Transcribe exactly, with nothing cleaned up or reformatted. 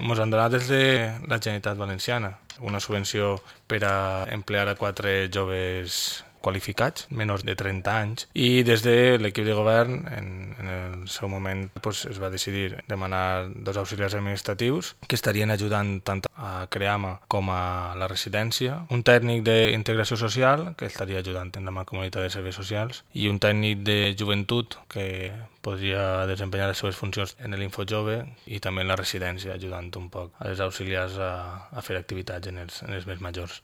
Ens han donat des de la Generalitat Valenciana una subvenció per a emplear a quatre joves qualificats, menors de trenta anys, i des de l'equip de govern en, en el seu moment pues, es va decidir demanar dos auxiliars administratius que estarien ajudant tant a Creama com a la residència, un tècnic d'integració social que estaria ajudant en la mancomunitat de serveis socials i un tècnic de joventut que podria desempenyar les seves funcions en l'Infojove i també en la residència, ajudant un poc a les auxiliars a, a fer activitats en els, en els més majors.